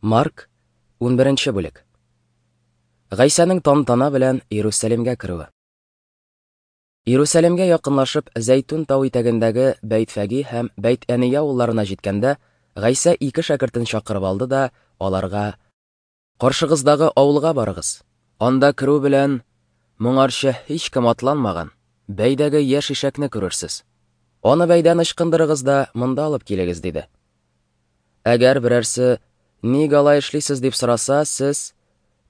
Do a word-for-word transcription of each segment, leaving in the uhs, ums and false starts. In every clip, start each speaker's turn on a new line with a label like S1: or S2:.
S1: Марк, унберенче бүлек. Гайсәнең тантана белән Иерусалимгә керүе. Иерусалимгә якынлашып, Зәйтүн тау итәгендәге Бәйтфәги һәм Бәйт-Әния авылларына җиткәндә, Гайсә ике шәкертен чакырып алды да аларга: "Каршыгыздагы авылга барыгыз. Анда керү белән моңарчы һичкем атланмаган бәйдәге яшь ишәкне күрерсез. Аны бәйдән ычкындырыгыз да монда алып килегез", диде. Әгәр берәрсе: "Ник алай эшлисез?" дип сораса, сез: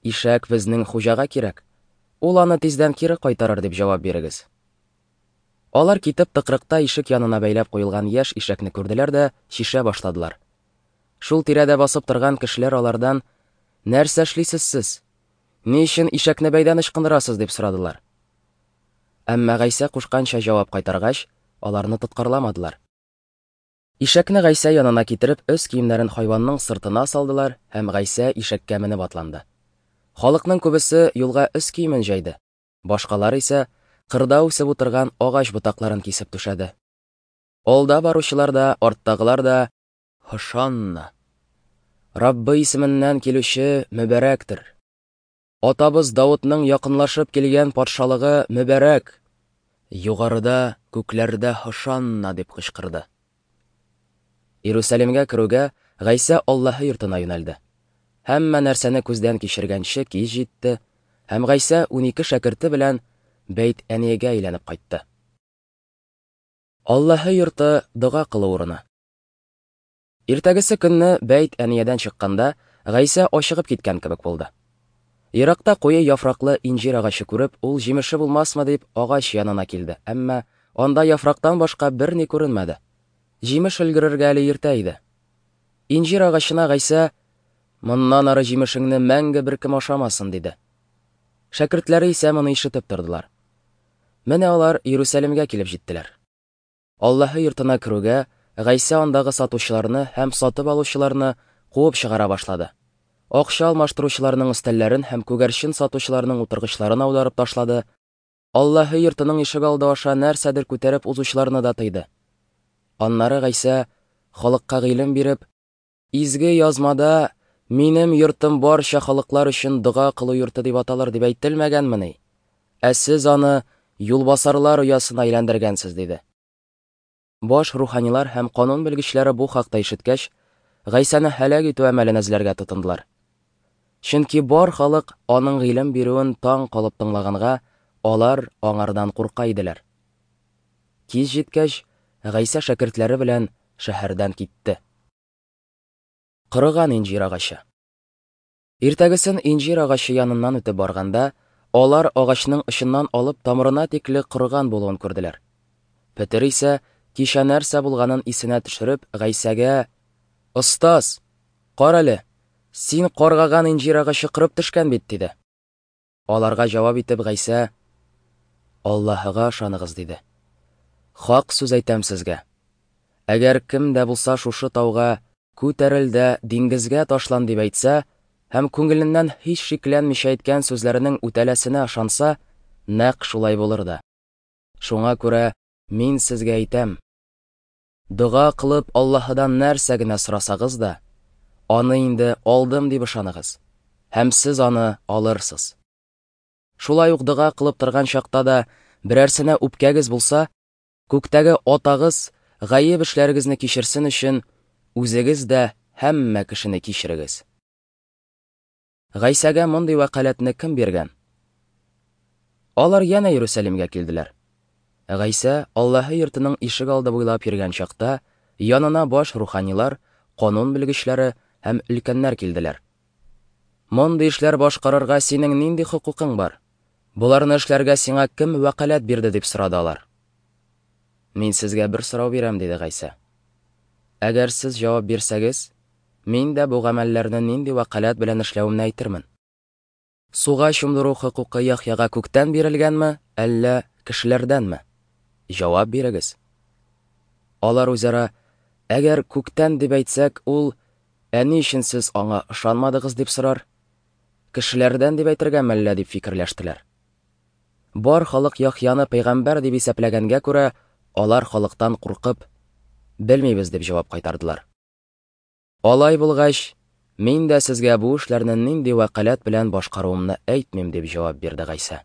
S1: "Ишәк безнең хуҗага кирәк. Ул аны тиздән кире кайтарыр", дип җавап бирегез. Алар китеп тыкрыкта ишек янына бәйләп куелган яшь ишәкне күрделәр дә чишә башладылар. Шул тирәдә басып торган кешеләр алардан: "Нәрсә эшлисез сез? Ни өчен ишәкне бәйдән ычкындырасыз?" дип сорадылар. Әмма Гайсә кушканча җавап кайтаргач, аларны тоткарламадылар. Ишәкне Гайсә янына китереп, өс киемнәрен хайванның сыртына салдылар, һәм Гайсә ишәккә менеп атланды. Халыкның күбесе юлга өс киемен җәйде. Башкалар исә кырда үсеп утырган агач ботакларын кисеп түшәде. Алда баручылар да, арттагылар да: "Һошанна! Раббы исеменнән килүче мөбарәктер! Атабыз Давыдның якынлашып килгән патшалыгы мөбарәк! Югарыда, күкләрдә һошанна!" дип кычкырды. Иерусалимгә керүгә, Гайсә Аллаһы йортына юнәлде. Һәммә нәрсәне күздән кичергәнче кич җитте, һәм Гайсә унике шәкерте белән Бәйт-Әниягә әйләнеп кайтты. Аллаһы йорты дога кылу урыны. Иртәгесе көнне Бәйт-Әниядән чыкканда, Гайсә ачыгып киткән кебек булды. Еракта куе яфраклы инҗир агачы күреп, ул җимеше булмасмы дип агач янына килде, әмма анда яфрактан башка берни күренмәде. Җимеш өлгерергә әле иртә иде. Инҗир агачына Гайсә: "Моннан ары җимешеңне мәңге беркем ашамасын", диде. Шәкертләре исә моны ишетеп тордылар. Менә алар Иерусалимгә килеп җиттеләр. Аллаһы йортына керүгә, Гайсә андагы сатучыларны һәм сатып алучыларны куып чыгара башлады. Акча алмаштыручыларның өстәлләрен һәм күгәрчен сатучыларның утыргычларын аударып ташлады. Аллаһы йортының ишегалды аша нәрсәдер күтәреп узучыларны да тыйды. Аннары Гайсә халыкка гыйлем биреп: "Изге язмада минем йортым барча халыклар өчен дога кылу йорты дип аталыр дип әйтелмәгәнмени? Ә сез аны юлбасарлар оясына әйләндергәнсез", диде. Баш руханилар һәм канун белгечләре бу хакта ишеткәч, Гайсәне һәлак итү әмәлен эзләргә тотындылар. Чөнки бар халык аның гыйлем бирүен таң калып тыңлаганга, алар аңардан курка иделәр. Кич җиткәч, Гайсә шәкертләре белән шәһәрдән китте. Корыган инҗир агачы. Иртәгесен инҗир агачы яныннан үтеп барганда, алар агачның очыннан алып тамырына тикле корыган булуын күрделәр. Петер исә кичә нәрсә булганын исенә төшереп, Гайсәгә: "Остаз, кара әле, син каргаган инҗир агачы корып төшкән бит", диде. Аларга җавап итеп Гайсә: "Аллаһыга ышаныгыз", диде. "Хак сүз әйтәм сезгә. Әгәр кем дә булса шушы тауга: 'Күтәрел дә диңгезгә ташлан' дип әйтсә, һәм күңеленнән һич шикләнмичә әйткән сүзләренең үтәләсенә ышанса, нәкъ шулай булыр да. Шуңа күрә мин сезгә әйтәм: дога кылып Аллаһыдан нәрсә генә сорасагыз да, аны инде алдым дип ышаныгыз, һәм сез аны алырсыз. Шулай ук дога кылып торган чакта да берәрсенә үпкәгез булса, күктәге атагыз гаеп эшләрегезне кичерсен өчен үзегез дә һәммә кешене кичерегез." Гайсәгә мондый вәкаләтне кем биргән? Алар янә Иерусалимгә килделәр. Гайсә Аллаһы йортының ишегалды буйлап йөргән чакта, янына баш руханилар, канун белгечләре һәм өлкәннәр килделәр. "Мондый эшләр башкарырга синең нинди хокукың бар? Боларны эшләргә сиңа кем вәкаләт бирде?" дип сорады алар. "Мин сезгә бер сорау бирәм", диде Гайсә. "Әгәр сез җавап бирсәгез, мин дә бу гамәлләрне нинди вәкаләт белән эшләвемне әйтермен. Суга чумдыру хокукы Яхъяга күктән бирелгәнме, әллә кешеләрдәнме? Җавап бирегез." Алар үзара: "Әгәр күктән дип әйтсәк, ул: 'Ә ни өчен сез аңа ышанмадыгыз?' дип сорар. Кешеләрдән дип әйтергәме әллә?" дип фикерләштеләр. Бар халык Яхъяны пәйгамбәр дип исәпләгәнгә күрә, алар халыктан куркып: "Белмибез", дип җавап кайтардылар. Алай булгач, Мин дә сезгә бу эшләрне нинди вәкаләт белән башкаруымны әйтмим, дип җавап бирде Гайсә.